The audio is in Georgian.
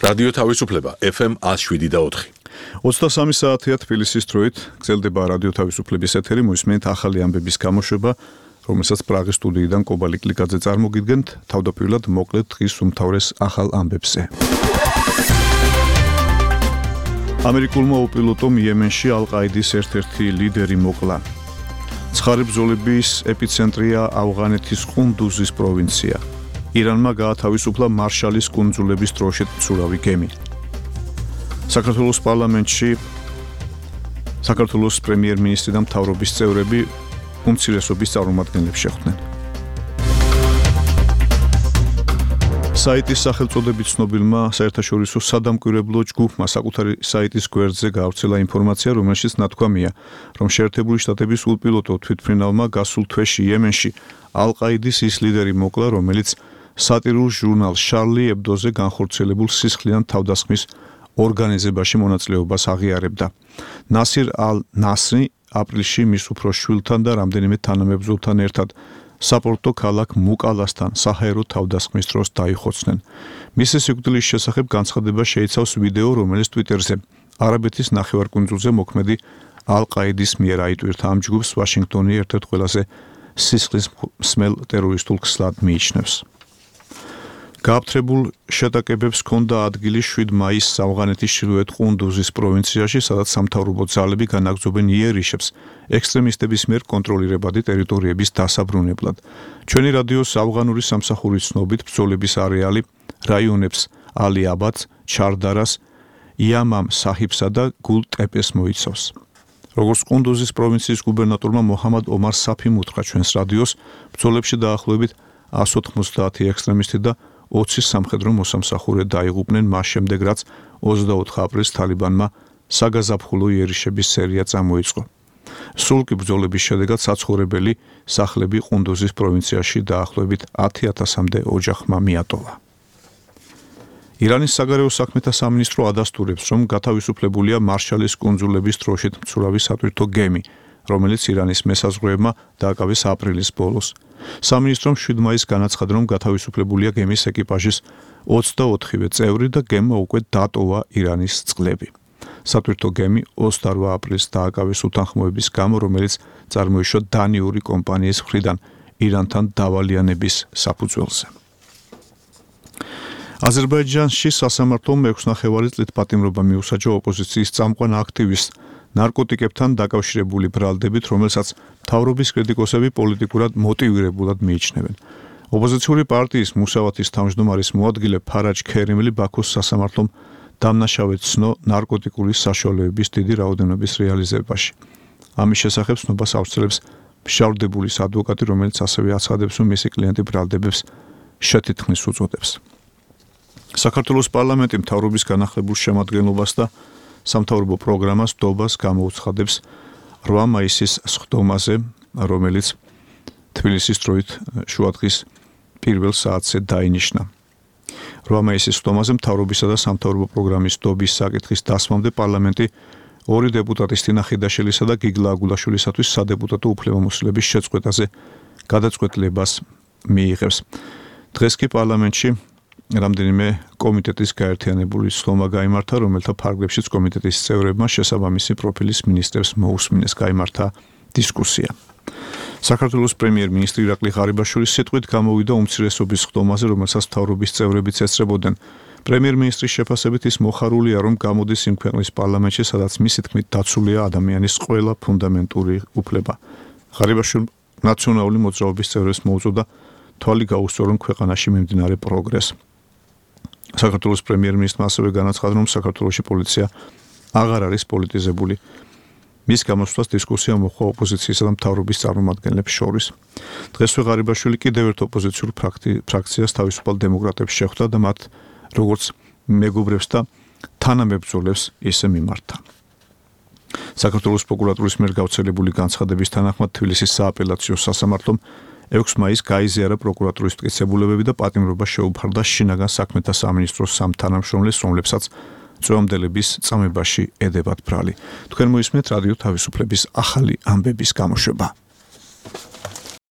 რადიო თავისუფლება FM 107.4. 23 საათია თბილისის დროით გრძელდება რადიო თავისუფლების ეთერი, მოისმენთ ახალი ამბების გამოშვება, რომელსაც პრაღის სტუდიიდან კობალი კლიკაძე წარმოგიდგენთ, თავდაპირველად მოკლედ დღის უმთავრეს ახალ ამბებზე. ამერიკულმა უპილოტომ იემენში ალ-ყაიდის ერთ-ერთი ლიდერი მოკლა. ცხარი ბრძოლების ეპიცენტრია ავღანეთის ყუნდუზის პროვინცია. ირანმა გაათავისუფლა მარშალის კუნძულების დროშით მცურავი გემი. საქართველოს პარლამენტში საქართველოს პრემიერ-მინისტრი და მთავრობის წევრები უმცირესობის წარმომადგენლებს შეხვდნენ. საიტის სახელწოდებით ცნობილმა საერთაშორისო სადამკვირვებლო ჯგუფმა საკუთარი საიტის გვერდზე გაავრცელა ინფორმაცია, რომელშიც ნათქვამია, რომ შეერთებული შტატების უპილოტო თვითმფრინავმა გასულ თვეში იემენში ალ-ყაიდის ის ლიდერი მოკლა, რომელიც სატირულ ჟურნალ შარლი ებდოზე განხორციელებულ სისხლიან თავდასხმის ორგანიზებაში მონაწილეობას აღიარებდა. ნასირ ალ-ნასრი აპრილში მის უფროს შვილთან და რამდენიმე თანამებრძოლთან ერთად საპორტო ქალაქ მუკალასთან საჰაერო თავდასხმის დროს დაიხოცნენ. მისი სიკვდილის შესახებ განცხადება შეიცავს ვიდეო, რომელიც ტვიტერზე არაბეთის ნახევარკუნძულზე მოქმედი ალ-ყაიდის მიერ აიტვირთა. ამ ჯგუფს ვაშინგტონი ერთ-ერთ ყველაზე სისხლის მსმელ ტერორისტულ ქსლად მიიჩნევს. გააფთრებულ შეტაკებებს ჰქონდა ადგილი 7 მაისს ავღანეთის ჩრდილოეთ ყუნდუზის პროვინციაში, სადაც სამთავრობო ძალები განაგრძობენ იერიშებს ექსტრემისტების მიერ კონტროლირებადი ტერიტორიების დასაბრუნებლად. ჩვენი რადიოს ავღანური სამსახურის ცნობით ბრძოლების არეალი რაიონებს ალი-აბადს, ჩარდარას, იამამ საჰიბსა და გულ-ტეპეს მოიცავს. როგორც ყუნდუზის პროვინციის გუბერნატორმა მოჰამად ომარ საფიმ უთხრა ჩვენს რადიოს, ბრძოლებში დაახლოებით 190 ექსტრემისტი და 20 სამხედრო მოსამსახურე დაიღუპნენ მას შემდეგ, რაც 24 აპრილს თალიბანმა საგაზაფხულო იერიშების სერია წამოიწყო. სულ კი ბრძოლების შედეგად საცხოვრებელი სახლები ყუნდუზის პროვინციაში დაახლოებით 10,000-მდე ოჯახმა მიატოვა. ირანის საგარეო საქმეთა სამინისტრო ადასტურებს, რომ გათავისუფლებულია მარშალის კუნძულების დროშით მცურავი სატვირთო გემი, რომელიც ირანის მესაზღვრეებმა დააკავეს აპრილის ბოლოს. სამინისტრომ 7 მაისს განაცხადა, რომ გათავისუფლებულია გემის ეკიპაჟის 24-ვე წევრი და გემმა უკვე დატოვა ირანის წყლები. სატვირთო გემი 28 აპრილს დააკავეს უთანხმოების გამო, რომელიც წარმოიშვა დანიური კომპანიის მხრიდან ირანთან დავალიანების საფუძველზე. აზერბაიჯანში სასამართლომ 6 ნახევარი წლით პატიმრობა მიუსაჯა ოპოზიციის წამყვან აქტივისტს ნარკოტიკებთან დაკავშირებული ბრალდებით, რომელსაც მთავრობის კრიტიკოსები პოლიტიკურად მოტივირებულად მიიჩნევენ. ოპოზიციური პარტიის მუსავათის თავმჯდომარის მოადგილე ფარაჯ ქერიმლი ბაქოს სასამართლომ დამნაშავედ ცნო ნარკოტიკული საშუალებების დიდი რაოდენობის რეალიზებაში. ამის შესახებ ცნობას ავრცელებს მშავდებულის ადვოკატი, რომელიც ასევე აცხადებს, რომ მისი კლიენტი ბრალდებებს შეთითქმის უწოდებს. საქართველოს პარლამენტი მთავრობის განახლებულ შემადგენლობას და სამთავრობო პროგრამას დობას გამოუცხადებს 8 მაისის სხდომაზე, რომელიც თბილისის დროით შუადღის პირველ საათზე დაინიშნა. 8 მაისის სხდომაზე მთავრობისა და სამთავრობო პროგრამის დობის საკითხის დასმამდე პარლამენტი 2 დეპუტატის თინა ხიდაშელისა და გიგლა აგულაშვილისათვის სადეპუტატო უფლებამოსილების შეწყვეტაზე გადაწყვეტილებას მიიღებს. დღეს კი პარლამენტში რამდენიმე კომიტეტის გაერთიანებული სხდომა გაიმართა, რომელთა ფარგლებშიც კომიტეტის წევრებმა შესაბამისი პროფილის მინისტრებს მოусმინეს. გაიმართა დისკუსია. საქართველოს პრემიერ-მინისტრი ირაკლი ღარიბაშვილის სიტყვით გამოვიდა უმცირესობის სხდომაზე, რომელსაც მთავრობის წევრებიც ესწრებოდნენ. პრემიერ-მინისტრის შეფასებით ის მოხარულია, რომ გამოდის იმ ქვეყნის პარლამენტში, სადაც მისი თქმით დაცულია ადამიანის ყველა ფუნდამენტური უფლება. ღარიბაშვილმა ნაციონალური მოძრაობის წევრებს მოუწოდა თვალი გაუსწრო, რომ ქვეყანაში მიმდინარე პროგრესს. საქართველოს პრემიერ-მინისტრმა ასევე განაცხადა, რომ საქართველოში პოლიცია აღარ არის პოლიტიზებული. მის გამოსვლას დისკუსია მოჰყვა ოპოზიციისა და მთავრობის წარმომადგენლებს შორის. დღესვე ღარიბაშვილი კიდევ ერთ ოპოზიციურ ფრაქციას თავისუფალ დემოკრატებს შეხვდა და მათ როგორც მეგობრებს და თანამებრძოლებს ისე მიმართა. საქართველოს პროკურატურის მიერ გავრცელებული განცხადების თანახმად თბილისის სააპელაციო სასამართლომ 6 მაისს გაიზიარა პროკურატურის მტკიცებულებები და პატიმრობა შეუფარდა შინაგან საქმეთა სამინისტროს სამ თანამშრომლებს, რომლებსაც წვემდელების წამებაში ედებათ ბრალი. თქვენ მოისმენთ რადიო თავისუფლების ახალი ამბების გამოშვება.